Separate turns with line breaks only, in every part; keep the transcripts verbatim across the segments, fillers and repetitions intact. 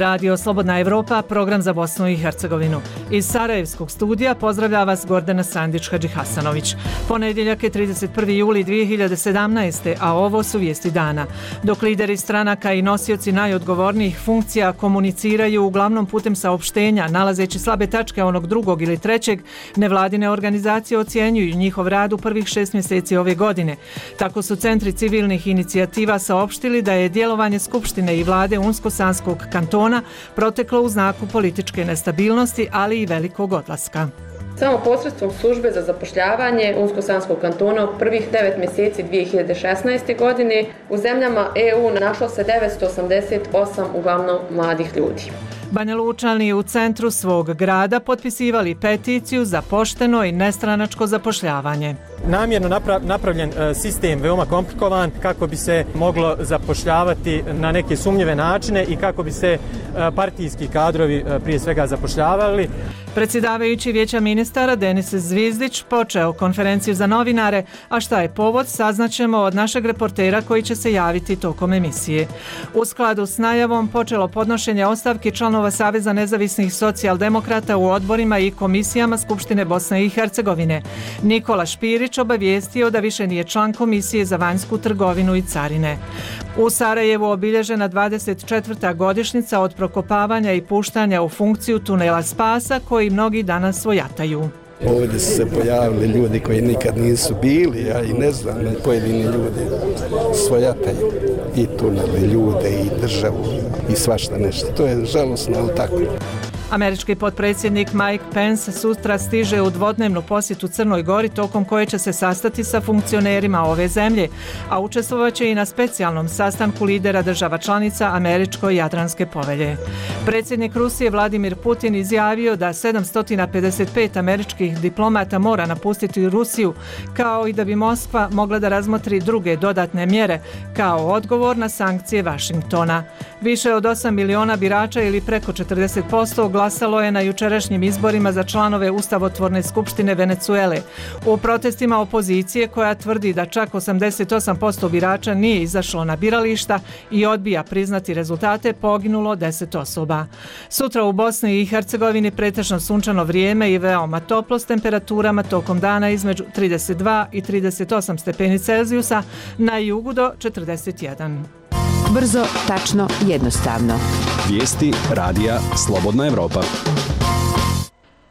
Radio Slobodna Evropa, program za Bosnu i Hercegovinu. Iz Sarajevskog studija pozdravlja vas Gordana Sandić-Hadžihasanović. Ponedjeljak je trideset prvi juli dvije hiljade sedamnaeste. a ovo su vijesti dana. Dok lideri stranaka i nosioci najodgovornijih funkcija komuniciraju uglavnom putem saopštenja, nalazeći slabe tačke onog drugog ili trećeg, nevladine organizacije ocjenjuju njihov rad u prvih šest mjeseci ove godine. Tako su centri civilnih inicijativa saopštili da je djelovanje Skupštine i vlade Unsko-Sanskog kantona proteklo u znaku političke nestabilnosti, ali i velikog odlaska.
Samo posredstvom službe za zapošljavanje Unsko-Sanskog kantona u prvih devet mjeseci dvije hiljade šesnaeste. godine u zemljama E U našlo se devetsto osamdeset osam uglavnom mladih ljudi.
Banja Lučani u centru svog grada potpisivali peticiju za pošteno i nestranačko zapošljavanje.
Namjerno napravljen sistem veoma komplikovan kako bi se moglo zapošljavati na neke sumnjive načine i kako bi se partijski kadrovi prije svega zapošljavali.
Predsjedavajući Vijeća ministara Denis Zvizdić počeo konferenciju za novinare, a šta je povod saznaćemo od našeg reportera koji će se javiti tokom emisije. U skladu s najavom počelo podnošenje ostavki članova Saveza nezavisnih socijaldemokrata u odborima i komisijama Skupštine Bosne i Hercegovine. Nikola Špirić obavijestio da više nije član Komisije za vanjsku trgovinu i carine. U Sarajevu obilježena dvadeset četvrta godišnjica od prokopavanja i puštanja u funkciju tunela Spasa koji mnogi danas svojataju.
Ovdje su se pojavili ljudi koji nikad nisu bili, ja i ne znam, pojedini ljudi svojataju i tunele, ljude i državu i svašta nešto. To je žalosno, ali tako.
Američki potpredsjednik Mike Pence sutra stiže u dvodnevnu posjetu Crnoj Gori tokom koje će se sastati sa funkcionerima ove zemlje, a učestvovaće i na specijalnom sastanku lidera država članica Američko-Jadranske povelje. Predsjednik Rusije Vladimir Putin izjavio da sedamsto pedeset pet američkih diplomata mora napustiti Rusiju, kao i da bi Moskva mogla da razmotri druge dodatne mjere kao odgovor na sankcije Vašingtona. Više od osam miliona birača ili preko četrdeset posto glasalo je na jučerašnjim izborima za članove Ustavotvorne skupštine Venecuele. U protestima opozicije koja tvrdi da čak osamdeset osam posto birača nije izašlo na birališta i odbija priznati rezultate, poginulo deset osoba. Sutra u Bosni i Hercegovini pretežno sunčano vrijeme i veoma toplo s temperaturama tokom dana između trideset dva i trideset osam stepeni Celzijusa, na jugu do četrdeset jedan.
Brzo, tačno, jednostavno.
Vijesti radija Slobodna Evropa.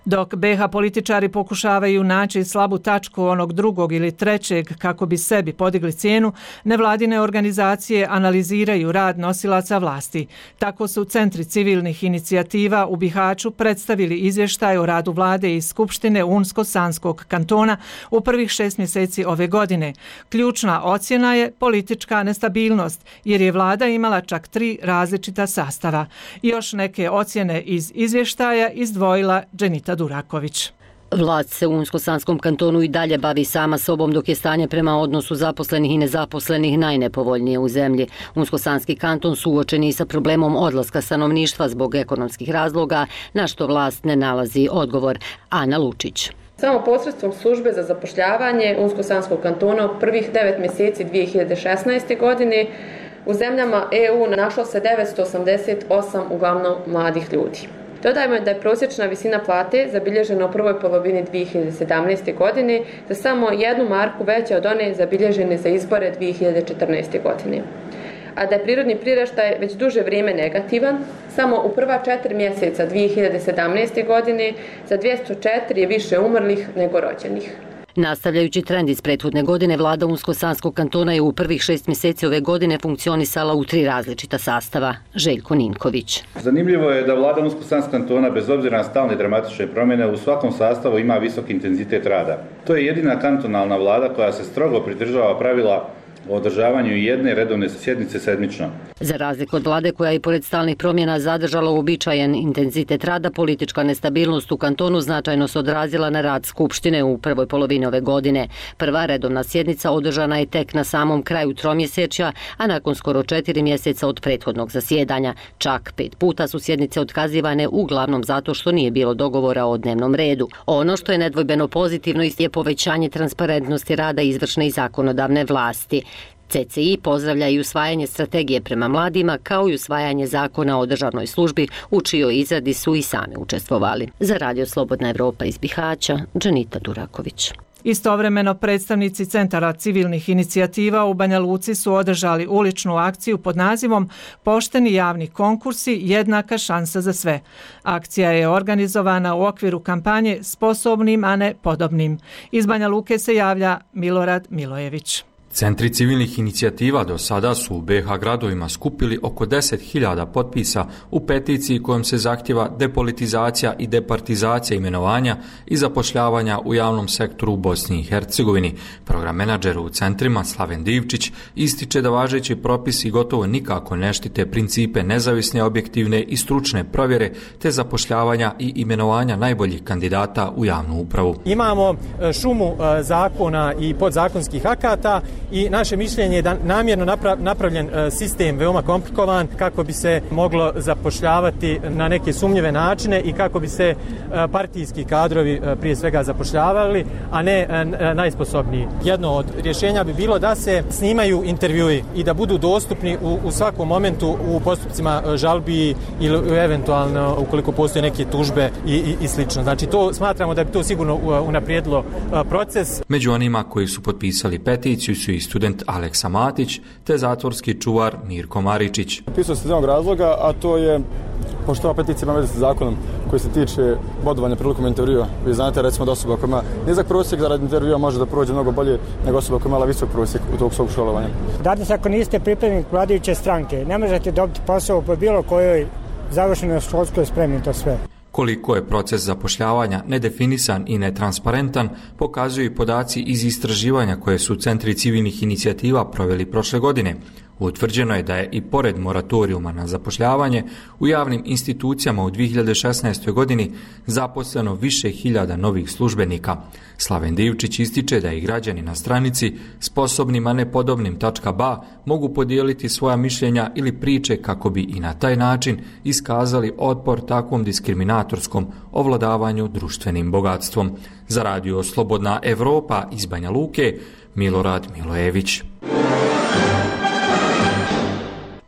Dok be ha političari pokušavaju naći slabu tačku onog drugog ili trećeg kako bi sebi podigli cijenu, nevladine organizacije analiziraju rad nosilaca vlasti. Tako su centri civilnih inicijativa u Bihaću predstavili izvještaj o radu vlade i Skupštine Unsko-Sanskog kantona u prvih šest mjeseci ove godine. Ključna ocjena je politička nestabilnost, jer je vlada imala čak tri različita sastava. Još neke ocjene iz izvještaja izdvojila Dženita Duraković.
Vlast se u Unsko-Sanskom kantonu i dalje bavi sama sobom, dok je stanje prema odnosu zaposlenih i nezaposlenih najnepovoljnije u zemlji. Unsko-Sanski kanton suočen je sa problemom odlaska stanovništva zbog ekonomskih razloga, na što vlast ne nalazi odgovor. Ana Lučić.
Samo posredstvom službe za zapošljavanje Unsko-Sanskog kantona u prvih devet mjeseci dvije hiljade šesnaeste. godine u zemljama E U našlo se devetsto osamdeset osam uglavnom mladih ljudi. Dodajmo da je prosječna visina plate zabilježena u prvoj polovini dvije hiljade sedamnaeste. godine za samo jednu marku veća od one zabilježene za izbore dvije hiljade četrnaeste. godine. A da je prirodni priraštaj već duže vrijeme negativan, samo u prva četiri mjeseca dvije hiljade sedamnaeste. godine za dvjesto četiri je više umrlih nego rođenih.
Nastavljajući trend iz prethodne godine, vlada Unsko-Sanskog kantona je u prvih šest mjeseci ove godine funkcionisala u tri različita sastava. Željko Ninković.
Zanimljivo je da vlada Unsko-Sanskog kantona, bez obzira na stalne dramatične promjene, u svakom sastavu ima visok intenzitet rada. To je jedina kantonalna vlada koja se strogo pridržava pravila o održavanju jedne redovne sjednice sedmično.
Za razliku od vlade koja je pored stalnih promjena zadržala uobičajen intenzitet rada, politička nestabilnost u kantonu značajno se odrazila na rad Skupštine u prvoj polovini ove godine. Prva redovna sjednica održana je tek na samom kraju tromjesečja, a nakon skoro četiri mjeseca od prethodnog zasjedanja. Čak pet puta su sjednice otkazivane, uglavnom zato što nije bilo dogovora o dnevnom redu. Ono što je nedvojbeno pozitivno je povećanje transparentnosti rada izvršne i zakonodavne vlasti. C C I pozdravlja i usvajanje strategije prema mladima kao i usvajanje zakona o državnoj službi u čijoj izradi su i sami učestvovali. Za Radio Slobodna Evropa iz Bihaća, Džanita Duraković.
Istovremeno predstavnici Centara civilnih inicijativa u Banja Luci su održali uličnu akciju pod nazivom Pošteni javni konkursi, jednaka šansa za sve. Akcija je organizovana u okviru kampanje Sposobnim, a ne podobnim. Iz Banja Luke se javlja Milorad Milojević.
Centri civilnih inicijativa do sada su u B iH gradovima skupili oko deset hiljada potpisa u peticiji kojom se zahtjeva depolitizacija i departizacija imenovanja i zapošljavanja u javnom sektoru u Bosni i Hercegovini. Program menadžer u centrima Slaven Divčić ističe da važeći propisi gotovo nikako ne štite principe nezavisne, objektivne i stručne provjere te zapošljavanja i imenovanja najboljih kandidata u javnu upravu.
Imamo šumu zakona i podzakonskih akata i naše mišljenje je da namjerno napravljen sistem veoma komplikovan kako bi se moglo zapošljavati na neke sumnjive načine i kako bi se partijski kadrovi prije svega zapošljavali, a ne najsposobniji. Jedno od rješenja bi bilo da se snimaju intervjui i da budu dostupni u, u svakom momentu u postupcima žalbi ili eventualno ukoliko postoje neke tužbe i, i, i slično. Znači to smatramo da bi to sigurno unaprijedilo proces.
Među onima koji su potpisali peticiju su i student Aleksa Matić te zatvorski čuvar Mirko Maričić.
Pisao se iz jednog razloga, a to je pošto ova peticija ima veze sa zakonom koji se tiče bodovanja prilikom intervjua. Vi znate recimo da osoba koja ima nizak prosjek za rad intervjua može da prođe mnogo bolje nego osoba koja ima visok prosjek u tog svog školovanja.
Danas ako niste pripadnik vladajuće stranke, ne možete dobiti posao po bilo kojoj završenoj školskoj spremi, to sve.
Koliko je proces zapošljavanja nedefinisan i netransparentan, pokazuju i podaci iz istraživanja koje su centri civilnih inicijativa proveli prošle godine. Utvrđeno je da je i pored moratorijuma na zapošljavanje u javnim institucijama u dvije hiljade šesnaestoj. godini zaposleno više hiljada novih službenika. Slaven Divčić ističe da i građani na stranici sposobnim, a ne podobnim .ba mogu podijeliti svoja mišljenja ili priče kako bi i na taj način iskazali otpor takvom diskriminatorskom ovladavanju društvenim bogatstvom. Za Radio Slobodna Evropa iz Banja Luke, Milorad Milojević.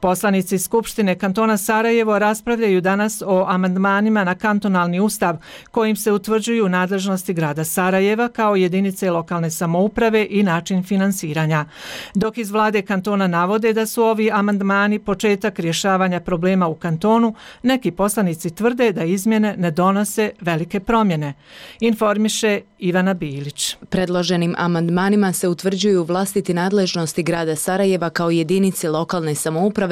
Poslanici Skupštine kantona Sarajevo raspravljaju danas o amandmanima na kantonalni ustav kojim se utvrđuju nadležnosti grada Sarajeva kao jedinice lokalne samouprave i način finansiranja. Dok iz vlade kantona navode da su ovi amandmani početak rješavanja problema u kantonu, neki poslanici tvrde da izmjene ne donose velike promjene. Informiše Ivana Bilić.
Predloženim amandmanima se utvrđuju vlastiti nadležnosti grada Sarajeva kao jedinice lokalne samouprave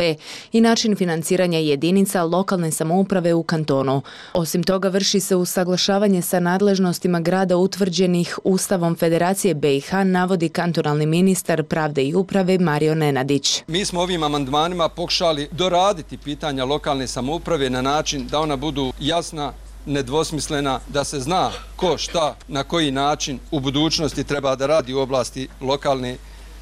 i način financiranja jedinica lokalne samouprave u kantonu. Osim toga, vrši se usaglašavanje sa nadležnostima grada utvrđenih Ustavom Federacije B iH, navodi kantonalni ministar pravde i uprave Mario Nenadić.
Mi smo ovim amandmanima pokušali doraditi pitanja lokalne samouprave na način da ona budu jasna, nedvosmislena, da se zna ko, šta, na koji način u budućnosti treba da radi u oblasti lokalne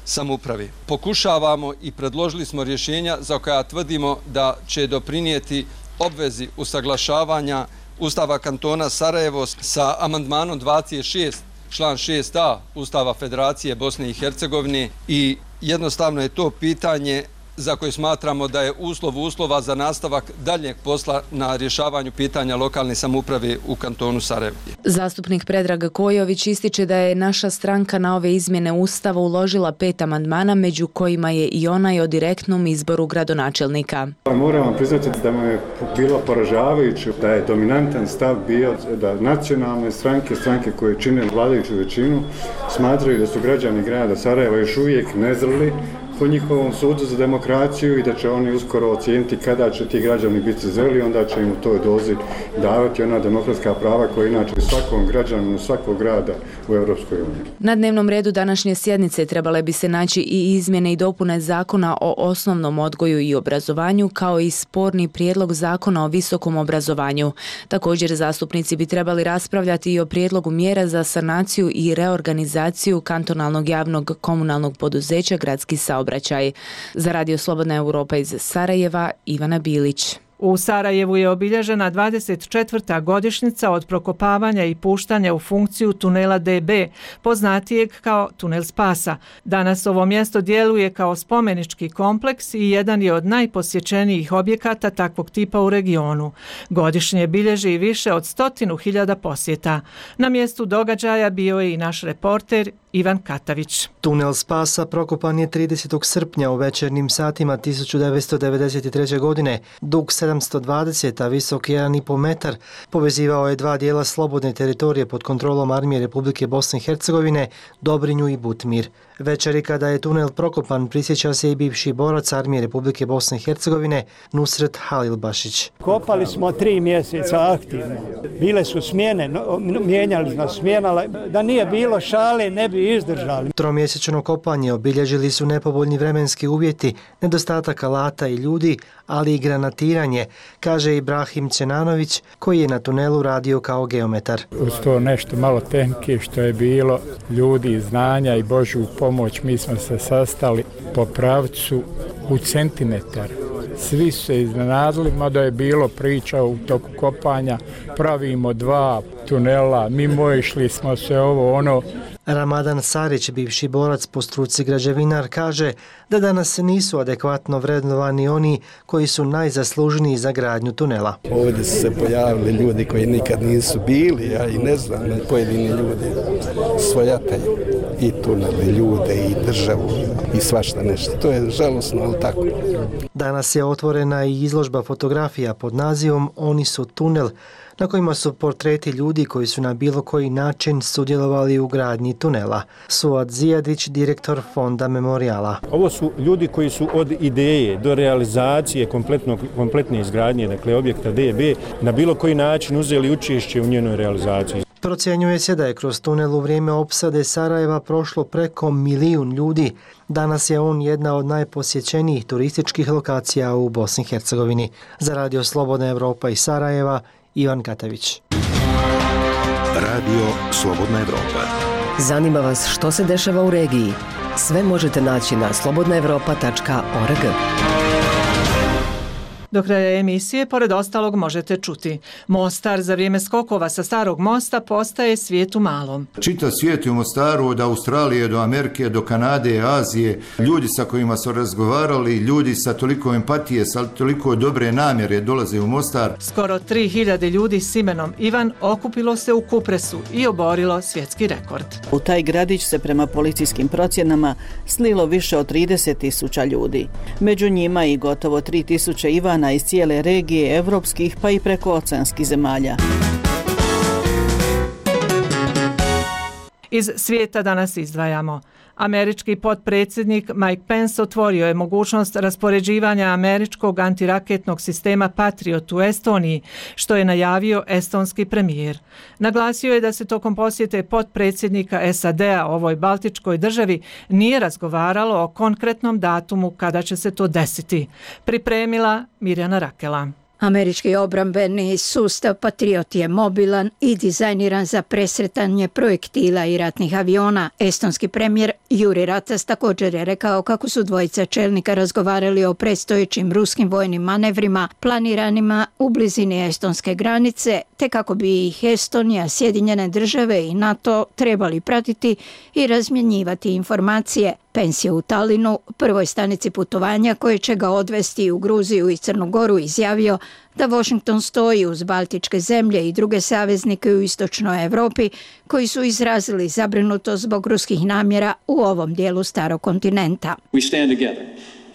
samouprave. Pokušavamo i predložili smo rješenja za koja tvrdimo da će doprinijeti obvezi usaglašavanja Ustava kantona Sarajevo sa amandmanom dvadeset šest, član šest a Ustava Federacije Bosne i Hercegovine i jednostavno je to pitanje za koje smatramo da je uslov uslova za nastavak daljnjeg posla na rješavanju pitanja lokalne samouprave u kantonu Sarajevo.
Zastupnik Predrag Kojović ističe da je naša stranka na ove izmjene Ustava uložila pet amandmana, među kojima je i onaj o direktnom izboru gradonačelnika.
Moram vam priznati da me je bilo poražavajuće da je dominantan stav bio da nacionalne stranke, stranke koje čine vladajuću većinu, smatraju da su građani grada Sarajeva još uvijek nezreli po njihovom sudu za demokraciju i da će oni uskoro ocijeniti kada će ti građani biti zreli, onda će im u toj dozi davati ona demokratska prava koja inače svakom građaninu svakog grada u Europskoj uniji.
Na dnevnom redu današnje sjednice trebale bi se naći i izmjene i dopune zakona o osnovnom odgoju i obrazovanju, kao i sporni prijedlog zakona o visokom obrazovanju. Također zastupnici bi trebali raspravljati i o prijedlogu mjera za sanaciju i reorganizaciju kantonalnog javnog komunalnog poduzeća Gradski saobraćaj. Za Radio Slobodna Europa iz Sarajeva, Ivana Bilić.
U Sarajevu je obilježena dvadeset četvrta godišnjica od prokopavanja i puštanja u funkciju tunela D B, poznatijeg kao Tunel Spasa. Danas ovo mjesto djeluje kao spomenički kompleks i jedan je od najposjećenijih objekata takvog tipa u regionu. Godišnje bilježi više od stotinu hiljada posjeta. Na mjestu događaja bio je i naš reporter Ivan Katavić.
Tunel Spasa prokopan je tridesetog srpnja u večernjim satima tisuću devetsto devedeset treće. godine. Dug sedamsto dvadeset, a visok jedan i po metar, povezivao je dva dijela slobodne teritorije pod kontrolom Armije Republike Bosne i Hercegovine, Dobrinju i Butmir. Večeri kada je tunel prokopan prisjeća se i bivši borac Armije Republike Bosne i Hercegovine Nusret Halilbašić.
Kopali smo tri mjeseca aktivno. Bile su smjene, mijenjali nas smjena, da nije bilo šale ne bi izdržali.
Tromjesečno kopanje obilježili su nepovoljni vremenski uvjeti, nedostatak alata i ljudi, ali i granatiranje, kaže Ibrahim Čenanović, koji je na tunelu radio kao geometar.
Uz to nešto malo tehnike što je bilo, ljudi, znanja i Božju pomoć, mi smo se sastali po pravcu u centimetar. Svi su se iznenadili, mada je bilo priča u toku kopanja, pravimo dva tunela, mimo išli smo se ovo ono.
Ramadan Sarić, bivši borac po struci građevinar, kaže da danas nisu adekvatno vrednovani oni koji su najzaslužniji za gradnju tunela.
Ovdje su se pojavili ljudi koji nikad nisu bili, ja i ne znam, pojedini ljudi svojataju i tunele, ljude i državu i svašta nešto. To je žalosno, ali tako.
Danas je otvorena i izložba fotografija pod nazivom Oni su tunel, na kojima su portreti ljudi koji su na bilo koji način sudjelovali u gradnji tunela. Suad Zijadić, direktor Fonda Memorijala.
Ovo su ljudi koji su od ideje do realizacije kompletne izgradnje, dakle objekta D B, na bilo koji način uzeli učešće u njenoj realizaciji.
Procjenjuje se da je kroz tunel u vrijeme opsade Sarajeva prošlo preko milijun ljudi. Danas je on jedna od najposjećenijih turističkih lokacija u Bosni i Hercegovini. Za Radio Slobodna Evropa iz Sarajeva, Ivan Katavić.
Radio Slobodna Evropa.
Zanima vas što se dešava u regiji? Sve možete naći na slobodna evropa tačka org.
Do kraja emisije, pored ostalog, možete čuti. Mostar za vrijeme skokova sa starog mosta postaje svijet u malom.
Čitav svijet je u Mostaru, od Australije do Amerike, do Kanade, Azije. Ljudi sa kojima su razgovarali, ljudi sa toliko empatije, sa toliko dobre namjere dolaze u Mostar.
Skoro tri hiljade ljudi s imenom Ivan okupilo se u Kupresu i oborilo svjetski rekord.
U taj gradić se prema policijskim procjenama slilo više od trideset tisuća ljudi. Među njima i gotovo tri tisuće Ivana iz cijele regije evropskih pa i prekooceanskih zemalja.
Iz svijeta danas izdvajamo. Američki potpredsjednik Mike Pence otvorio je mogućnost raspoređivanja američkog antiraketnog sistema Patriot u Estoniji, što je najavio estonski premijer. Naglasio je da se tokom posjete potpredsjednika S A D-a ovoj baltičkoj državi nije razgovaralo o konkretnom datumu kada će se to desiti. Pripremila Mirjana Rakela.
Američki obrambeni sustav Patriot je mobilan i dizajniran za presretanje projektila i ratnih aviona. Estonski premijer Juri Ratas također je rekao kako su dvojica čelnika razgovarali o predstojećim ruskim vojnim manevrima planiranima u blizini estonske granice, te kako bi ih Estonija, Sjedinjene države i NATO trebali pratiti i razmjenjivati informacije. Pence je u Talinu, prvoj stanici putovanja koje će ga odvesti u Gruziju i Crnu Goru, izjavio da Washington stoji uz baltičke zemlje i druge saveznike u istočnoj Europi koji su izrazili zabrinutost zbog ruskih namjera u ovom dijelu starog kontinenta.
We stand together,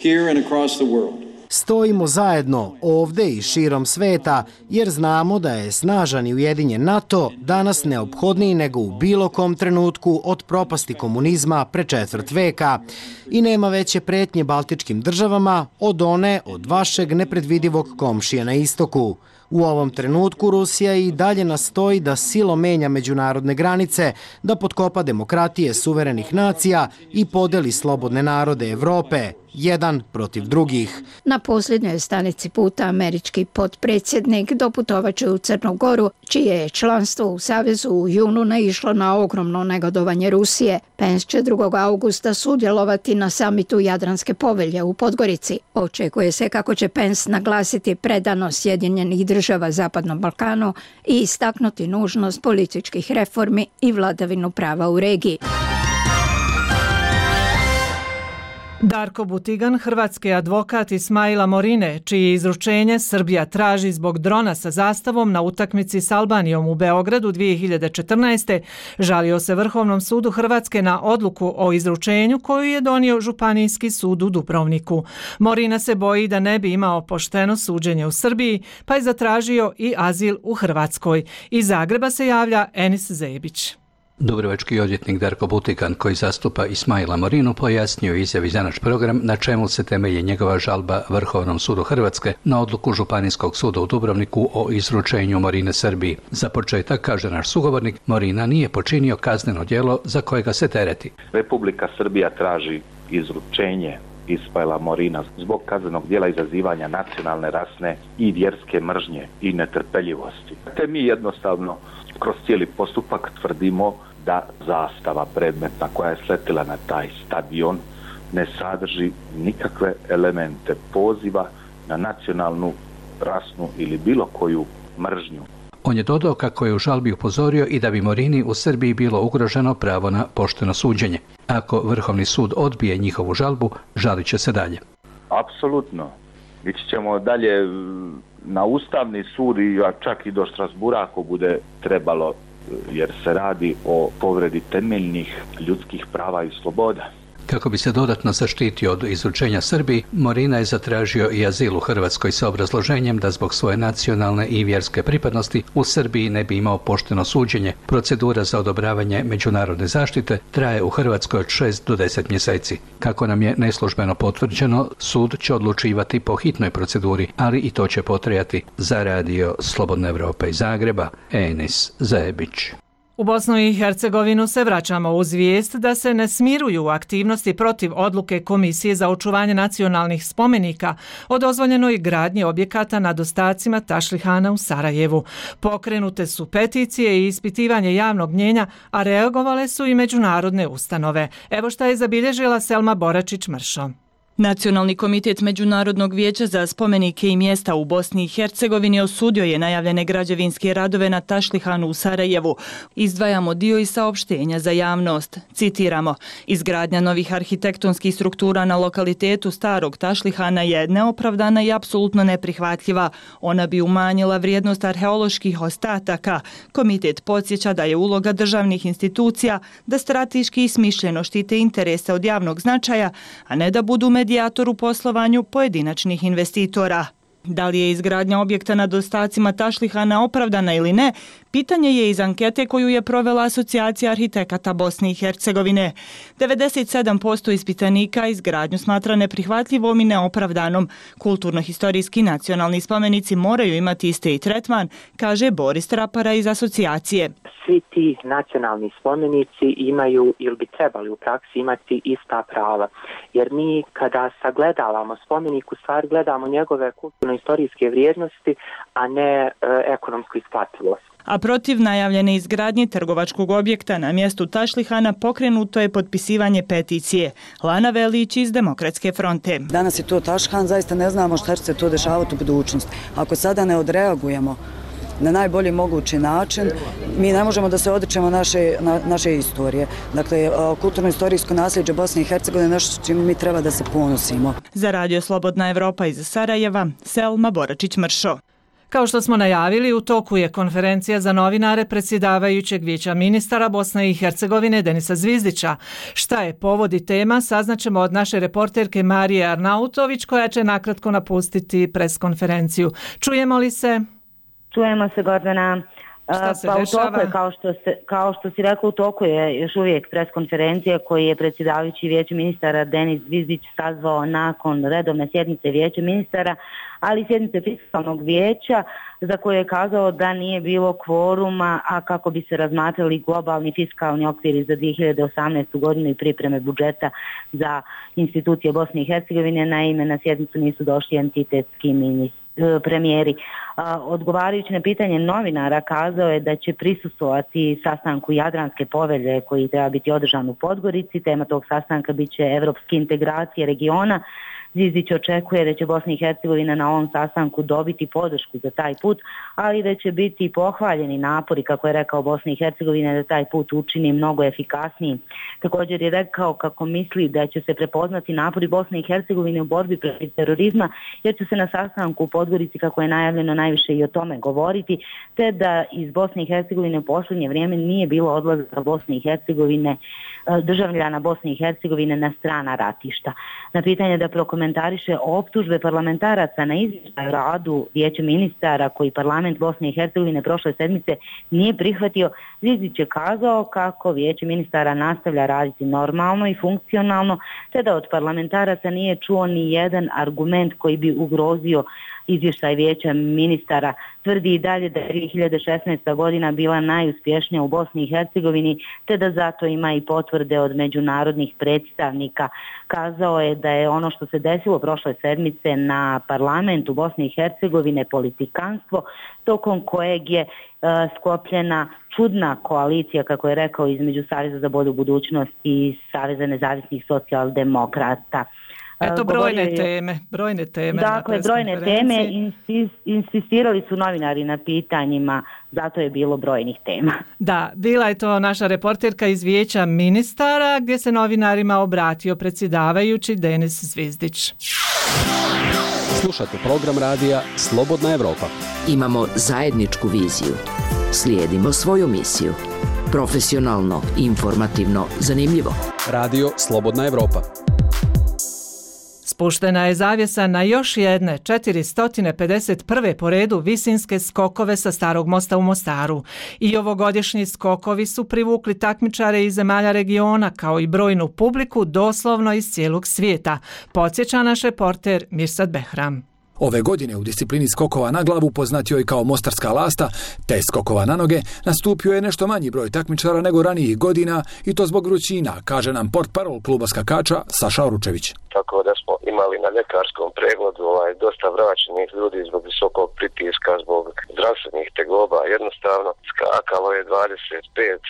here and across the world.
Stojimo zajedno ovdje i širom sveta jer znamo da je snažan i ujedinjen NATO danas neophodniji nego u bilo kom trenutku od propasti komunizma pre četvrt veka i nema veće pretnje baltičkim državama od one od vašeg nepredvidivog komšije na istoku. U ovom trenutku Rusija i dalje nastoji da silom menja međunarodne granice, da potkopa demokratije suverenih nacija i podeli slobodne narode Evrope, jedan protiv drugih.
Na posljednjoj stanici puta američki potpredsjednik doputovaće u Crnu Goru, čije je članstvo u Savezu u junu naišlo na ogromno negodovanje Rusije. Pence će drugog augusta sudjelovati na samitu Jadranske povelje u Podgorici. Očekuje se kako će Pence naglasiti predanost Sjedinjenih država Zapadnom Balkanu i istaknuti nužnost političkih reformi i vladavinu prava u regiji.
Darko Butigan, hrvatski advokat Ismaila Morine, čije izručenje Srbija traži zbog drona sa zastavom na utakmici s Albanijom u Beogradu dvije hiljade četrnaeste. žalio se Vrhovnom sudu Hrvatske na odluku o izručenju koju je donio Županijski sud u Dubrovniku. Morina se boji da ne bi imao pošteno suđenje u Srbiji, pa je zatražio i azil u Hrvatskoj. Iz Zagreba se javlja Enis Zebić.
Dubrovački odvjetnik Darko Butigan, koji zastupa Ismaila Morinu, pojasnio izjavi za naš program na čemu se temelji njegova žalba Vrhovnom sudu Hrvatske na odluku Županijskog suda u Dubrovniku o izručenju Morine Srbiji. Za početak, kaže naš sugovornik, Morina nije počinio kazneno djelo za kojega se tereti.
Republika Srbija traži izručenje Ismaila Morina zbog kaznenog djela izazivanja nacionalne, rasne i vjerske mržnje i netrpeljivosti. Te mi jednostavno kroz cijeli postupak tvrdimo da zastava predmetna koja je sletila na taj stadion ne sadrži nikakve elemente poziva na nacionalnu, rasnu ili bilo koju mržnju.
On je dodao kako je u žalbi upozorio i da bi Morini u Srbiji bilo ugroženo pravo na pošteno suđenje. Ako Vrhovni sud odbije njihovu žalbu, žalit će se dalje.
Apsolutno. Ići ćemo dalje na Ustavni sud i čak i do Strasbura ako bude trebalo, jer se radi o povredi temeljnih ljudskih prava i sloboda.
Kako bi se dodatno zaštitio od izručenja Srbiji, Morina je zatražio i azil u Hrvatskoj sa obrazloženjem da zbog svoje nacionalne i vjerske pripadnosti u Srbiji ne bi imao pošteno suđenje. Procedura za odobravanje međunarodne zaštite traje u Hrvatskoj od šest do deset mjeseci. Kako nam je neslužbeno potvrđeno, sud će odlučivati po hitnoj proceduri, ali i to će potrajati. Za radio Slobodna Evropa iz Zagreba, Enis Zebić.
U Bosnu i Hercegovinu se vraćamo uz vijest da se ne smiruju aktivnosti protiv odluke Komisije za očuvanje nacionalnih spomenika o dozvoljenoj gradnji objekata nad ostacima Tašlihana u Sarajevu. Pokrenute su peticije i ispitivanje javnog mnjenja, a reagovale su i međunarodne ustanove. Evo šta je zabilježila Selma Boračić-Mršo.
Nacionalni komitet Međunarodnog vijeća za spomenike i mjesta u Bosni i Hercegovini osudio je najavljene građevinske radove na Tašlihanu u Sarajevu. Izdvajamo dio iz saopštenja za javnost. Citiramo: izgradnja novih arhitektonskih struktura na lokalitetu starog Tašlihana je neopravdana i apsolutno neprihvatljiva. Ona bi umanjila vrijednost arheoloških ostataka. Komitet podsjeća da je uloga državnih institucija da strateški i smišljeno štite interese od javnog značaja, a ne da budu medijator u poslovanju pojedinačnih investitora. Da li je izgradnja objekta nad ostacima Tašlihana opravdana ili ne, pitanje je iz ankete koju je provela Asocijacija arhitekata Bosne i Hercegovine. devedeset sedam posto ispitanika izgradnju smatra neprihvatljivom i neopravdanom. Kulturno-historijski nacionalni spomenici moraju imati isti tretman, kaže Boris Trapara iz asocijacije.
Svi ti nacionalni spomenici imaju ili bi trebali u praksi imati ista prava. Jer mi kada sagledavamo spomenik, u stvari gledamo njegove kulturno-historijske vrijednosti, a ne e, ekonomsku isplativost.
A protiv najavljene izgradnje trgovačkog objekta na mjestu Tašlihana pokrenuto je potpisivanje peticije. Lana Velić iz Demokratske fronte.
Danas je to Tašlihan, zaista ne znamo šta će se to dešavati u budućnosti. Ako sada ne odreagujemo na najbolji mogući način, mi ne možemo da se odričemo naše, na, naše istorije. Dakle, kulturno-istorijsko nasljeđe Bosne i Hercegovine je nešto čime mi treba da se ponosimo.
Za radio Slobodna Evropa iz Sarajeva, Selma Boračić-Mršo.
Kao što smo najavili, u toku je konferencija za novinare predsjedavajućeg vijeća ministara Bosne i Hercegovine Denisa Zvizdića. Šta je povod i tema, saznaćemo od naše reporterke Marije Arnautović, koja će nakratko napustiti preskonferenciju. Čujemo li se?
Čujemo se, Gordana.
Šta se
pa
dešava?
U toku je, kao što, se, kao što si rekao, u toku je još uvijek pres konferencija koji je predsjedavajući Vijeća ministara Denis Zvizdić sazvao nakon redovne sjednice Vijeća ministara, ali sjednice fiskalnog vijeća za koje je kazao da nije bilo kvoruma, a kako bi se razmatrali globalni fiskalni okviri za dvije hiljade osamnaestu. godinu i pripreme budžeta za institucije Bosne i Hercegovine. Naime, na sjednicu nisu došli entitetski ministri. Premijeri. Odgovarajući na pitanje novinara kazao je da će prisustvovati sastanku Jadranske povelje koji treba biti održan u Podgorici. Tema tog sastanka bit će evropske integracije regiona. Zvizdić očekuje da će Bosna i Hercegovina na ovom sastanku dobiti podršku za taj put, ali da će biti pohvaljeni napori, kako je rekao, Bosna i Hercegovina da taj put učini mnogo efikasniji. Također je rekao kako misli da će se prepoznati napori Bosne i Hercegovine u borbi protiv terorizma, jer će se na sastanku u Podgorici, kako je najavljeno, najviše i o tome govoriti, te da iz Bosne i Hercegovine u posljednje vrijeme nije bilo odlazaka Bosne i Hercegovine, državljana Bosne i Hercegovine na strana ratišta. Na pitanje da prokomentariše optužbe parlamentaraca na izvještaj radu Vijeća ministara koji parlament Bosne i Hercegovine prošle sedmice nije prihvatio, Zvizdić je kazao kako Vijeće ministara nastavlja raditi normalno i funkcionalno, te da od parlamentaraca nije čuo ni jedan argument koji bi ugrozio izvještaj Vijeća ministara. Tvrdi i dalje da je dvije hiljade šesnaesta. godina bila najuspješnija u Bosni i Hercegovini, te da zato ima i potvrde od međunarodnih predstavnika. Kazao je da je ono što se desilo prošle sedmice na parlamentu Bosne i Hercegovine politikanstvo, tokom kojeg je uh, sklopljena čudna koalicija, kako je rekao, između Saveza za bolju budućnost i Saveza nezavisnih socijaldemokrata.
Eto brojne teme, brojne teme.
Dakle, brojne teme, insistirali su novinari na pitanjima, zato je bilo brojnih tema.
Da, bila je to naša reporterka iz Vijeća ministara, gdje se novinarima obratio predsjedavajući Denis Zvizdić.
Slušate program radija Slobodna Evropa.
Imamo zajedničku viziju. Slijedimo svoju misiju. Profesionalno, informativno, zanimljivo.
Radio Slobodna Evropa.
Spuštena je zavjesa na još jedne četiristo pedeset prve po redu visinske skokove sa Starog mosta u Mostaru. I ovogodišnji skokovi su privukli takmičare iz zemalja regiona kao i brojnu publiku doslovno iz cijelog svijeta, podsjeća naš reporter Mirsad Behram.
Ove godine u disciplini skokova na glavu, poznatio i kao Mostarska lasta, te skokova na noge, nastupio je nešto manji broj takmičara nego ranijih godina i to zbog vrućina, kaže nam portparol kluba skakača Saša Oručević.
Tako da smo imali na ljekarskom pregledu ovaj, dosta vraćenih ljudi zbog visokog pritiska, zbog zdravstvenih tegoba. Jednostavno skakalo je dvadeset pet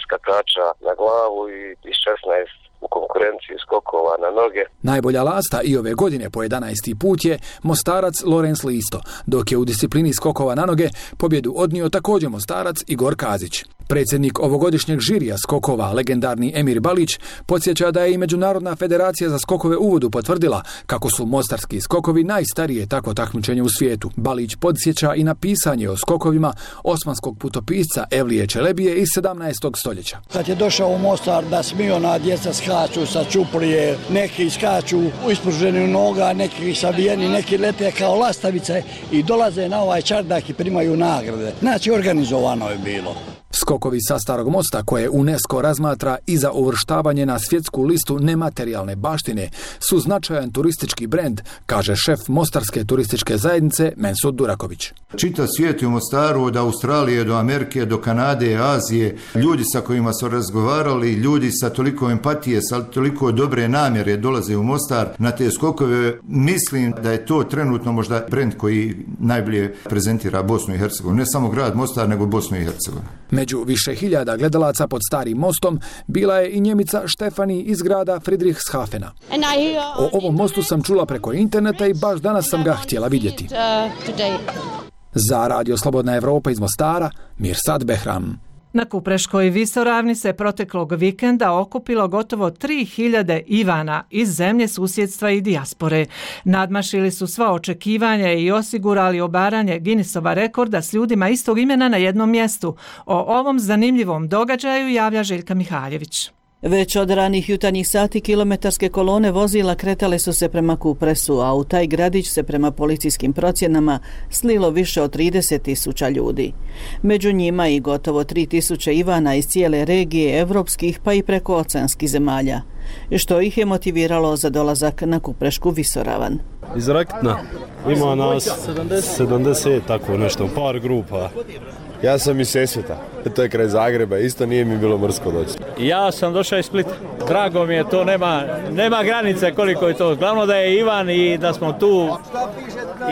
skakača na glavu i šesnaest u konkurenciji skokova na noge.
Najbolja lasta i ove godine po jedanaesti put je Mostarac Lorenz Listo, dok je u disciplini skokova na noge pobjedu odnio također Mostarac Igor Kazić. Predsjednik ovogodišnjeg žirija skokova, legendarni Emir Balić, podsjeća da je i Međunarodna federacija za skokove u vodu potvrdila kako su mostarski skokovi najstarije takvo takmičenje u svijetu. Balić podsjeća i na pisanje o skokovima osmanskog putopisca Evlije Čelebije iz sedamnaestog stoljeća.
Kad je došao u Mostar da smiona djeca skaču sa čuprije, neki skaču u ispruženju noga, neki savijeni, neki lete kao lastavice i dolaze na ovaj čardak i primaju nagrade. Znači organizovano je bilo.
Skokovi sa Starog mosta, koje UNESCO razmatra i za uvrštavanje na svjetsku listu nematerijalne baštine, su značajan turistički brend, kaže šef Mostarske turističke zajednice Mensud Duraković.
Čitav svijet u Mostaru, od Australije do Amerike, do Kanade, Azije, ljudi sa kojima su razgovarali, ljudi sa toliko empatije, sa toliko dobre namjere dolaze u Mostar na te skokove. Mislim da je to trenutno možda brend koji najbolje prezentira Bosnu i Hercegovinu. Ne samo grad Mostar, nego Bosnu i Hercegovinu.
Među više hiljada gledalaca pod Starim mostom bila je i Njemica Štefani iz grada Friedrichshafena. O ovom mostu sam čula preko interneta i baš danas sam ga htjela vidjeti. Za Radio Slobodna Evropa iz Mostara, Mirsad Behram.
Na Kupreškoj visoravni se proteklog vikenda okupilo gotovo tri hiljade Ivana iz zemlje susjedstva i dijaspore. Nadmašili su sva očekivanja i osigurali obaranje Guinnessova rekorda s ljudima istog imena na jednom mjestu. O ovom zanimljivom događaju javlja Željka Mihaljević.
Već od ranih jutarnjih sati kilometarske kolone vozila kretale su se prema Kupresu, a u taj gradić se prema policijskim procjenama slilo više od trideset tisuća ljudi. Među njima i gotovo tri tisuće Ivana iz cijele regije evropskih pa i prekooceanskih zemalja, što ih je motiviralo za dolazak na Kuprešku visoravan.
Iz Rakitna ima nas sedamdeset, tako nešto, par grupa.
Ja sam iz Sesveta, to je kraj Zagreba, isto nije mi bilo mrsko doći.
Ja sam došao iz Splita. Drago mi je to, nema, nema granice koliko je to. Glavno da je Ivan i da smo tu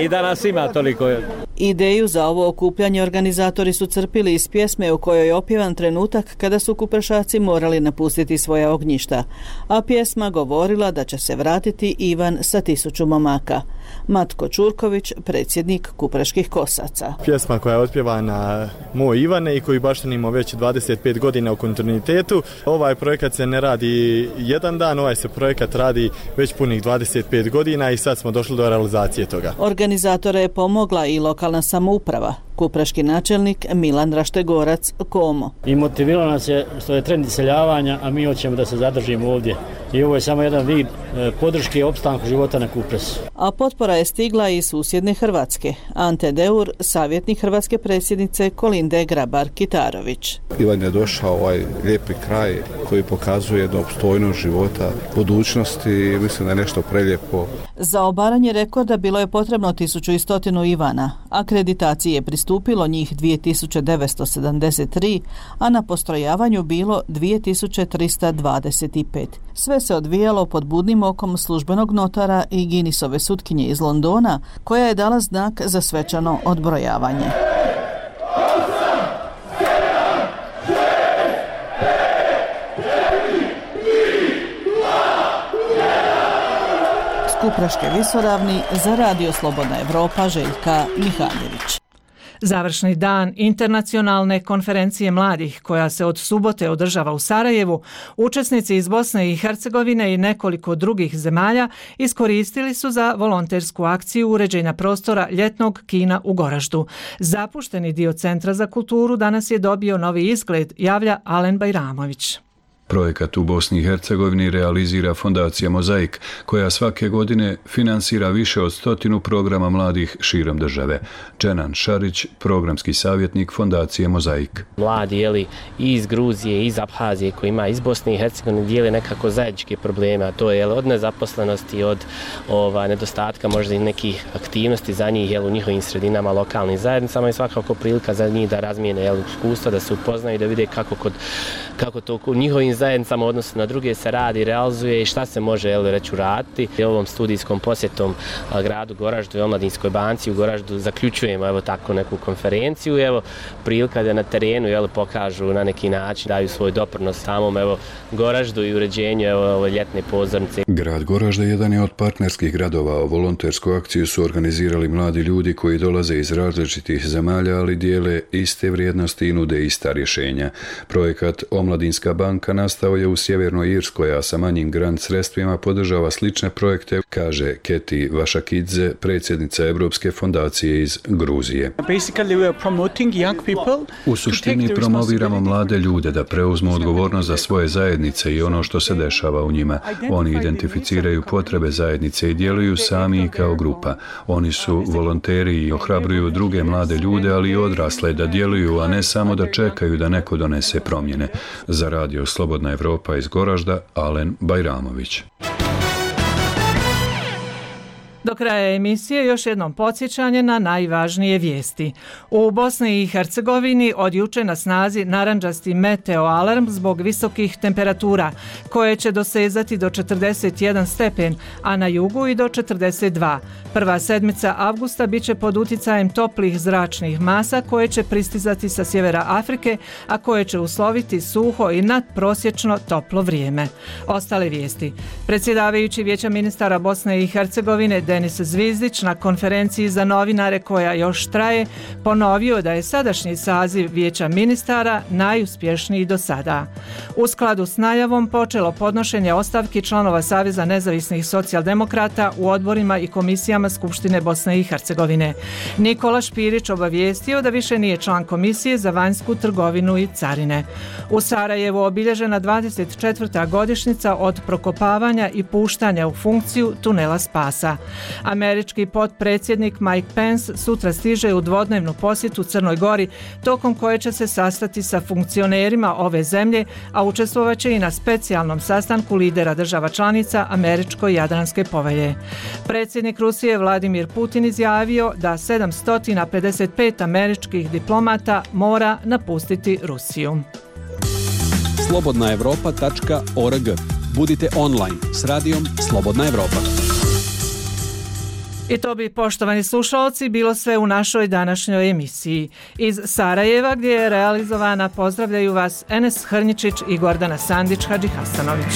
i da nas ima toliko.
Ideju za ovo okupljanje organizatori su crpili iz pjesme u kojoj je opjevan trenutak kada su kuprešaci morali napustiti svoja ognjišta, a pjesma govorila da će se vratiti Ivan sa tisuću momaka. Matko Čurković, predsjednik Kupreških kosaca.
Pjesma koja je otpjevana Moj Ivane i koju baštinimo već dvadeset pet godina u kontinuitetu. Ovaj projekat se ne radi jedan dan, ovaj se projekat radi već punih dvadeset pet godina i sad smo došli do realizacije toga.
Organizatore je pomogla i lokalna samouprava. Kupreški načelnik Milan Raštegorac Komo.
I motiviralo nas je što je trend iseljavanja, a mi hoćemo da se zadržimo ovdje. I ovo je samo jedan vid podrške i opstanku života na Kupresu.
A potpora je stigla iz susjedne Hrvatske. Ante Deur, savjetnik hrvatske predsjednice Kolinde Grabar-Kitarović.
Ivan je došao ovaj lijepi kraj koji pokazuje jednu opstojnost života, budućnosti i mislim da je nešto prelijepo.
Za obaranje rekorda bilo je potrebno tisuću i stotinu Ivana. Akreditaciji je pristupilo njih dvije tisuće devetsto sedamdeset tri, a na postrojavanju bilo dvije tisuće trista dvadeset pet. Sve se odvijalo pod budnim okom službenog notara i Guinnessove sutkinje iz Londona, koja je dala znak za svečano odbrojavanje. S Kupreške visoravni za Radio Slobodna Evropa Željka Mihajlović.
Završni dan internacionalne konferencije mladih koja se od subote održava u Sarajevu, učesnici iz Bosne i Hercegovine i nekoliko drugih zemalja iskoristili su za volontersku akciju uređenja prostora ljetnog kina u Goraždu. Zapušteni dio Centra za kulturu danas je dobio novi izgled, javlja Alen Bajramović.
Projekat u Bosni i Hercegovini realizira fondacija Mozaik, koja svake godine finansira više od stotinu programa mladih širom države. Čenan Šarić, programski savjetnik fondacije Mozaik.
Mladi jeli, i iz Gruzije i iz Abhazije koji ima iz Bosne i Hercegovine dijele nekako zajedničke probleme, a to je jeli, od nezaposlenosti, od ova, nedostatka možda i nekih aktivnosti za njih jeli, u njihovim sredinama, lokalnim zajednicama i svakako prilika za njih da razmijene jeli, iskustva, da se upoznaju, da vide kako, kod, kako to u njihovim zajednicama odnosno na druge se radi, realizuje i šta se može jel, reći uraditi. I ovom studijskom posjetom a, gradu Goraždu i Omladinskoj banci u Goraždu zaključujemo evo tako neku konferenciju. Evo prilika da na terenu jel, pokažu na neki način, daju svoj doprinos samom evo Goraždu i uređenju evo ove ljetne pozornice.
Grad Goražde jedan je od partnerskih gradova. Volontersku akciju su organizirali mladi ljudi koji dolaze iz različitih zemalja, ali dijele iste vrijednosti i nude ista rješenja. Projekat Omladinska banka nastao je u Sjevernoj Irskoj, a sa manjim grant sredstvima podržava slične projekte, kaže Keti Vašakidze, predsjednica Evropske fondacije iz Gruzije. U suštini promoviramo mlade ljude da preuzmu odgovornost za svoje zajednice i ono što se dešava u njima. Oni identificiraju potrebe zajednice i djeluju sami kao grupa. Oni su volonteri i ohrabruju druge mlade ljude, ali i odrasle da djeluju, a ne samo da čekaju da neko donese promjene. Za Radio Slobodna Evropa iz Goražda, Alen Bajramović.
Do kraja emisije još jednom podsjećanje na najvažnije vijesti. U Bosni i Hercegovini od juče na snazi narandžasti meteo alarm zbog visokih temperatura, koje će dosezati do četrdeset jedan stepen, a na jugu i do četrdeset dva. Prva sedmica avgusta biće pod uticajem toplih zračnih masa koje će pristizati sa sjevera Afrike, a koje će usloviti suho i nadprosječno toplo vrijeme. Ostale vijesti. Predsjedavajući Vijeća ministara Bosne i Hercegovine Denis Zvizdić na konferenciji za novinare koja još traje ponovio da je sadašnji saziv Vijeća ministara najuspješniji do sada. U skladu s najavom počelo podnošenje ostavki članova Saveza nezavisnih socijaldemokrata u odborima i komisijama Skupštine Bosne i Hercegovine. Nikola Špirić obavijestio da više nije član Komisije za vanjsku trgovinu i carine. U Sarajevu obilježena dvadeset četvrta godišnjica od prokopavanja i puštanja u funkciju tunela Spasa. Američki potpredsjednik Mike Pence sutra stiže u dvodnevnu posjetu Crnoj Gori, tokom koje će se sastati sa funkcionerima ove zemlje, a učestvovat će i na specijalnom sastanku lidera država članica Američko-Jadranske povelje. Predsjednik Rusije Vladimir Putin izjavio da sedamsto pedeset pet američkih diplomata mora napustiti Rusiju.
slobodna europa tačka org. Budite online s radijom Slobodna Evropa.
I to bi, poštovani slušalci, bilo sve u našoj današnjoj emisiji. Iz Sarajeva, gdje je realizovana, pozdravljaju vas Enes Hrnjičić i Gordana Sandić Hadžihasanović.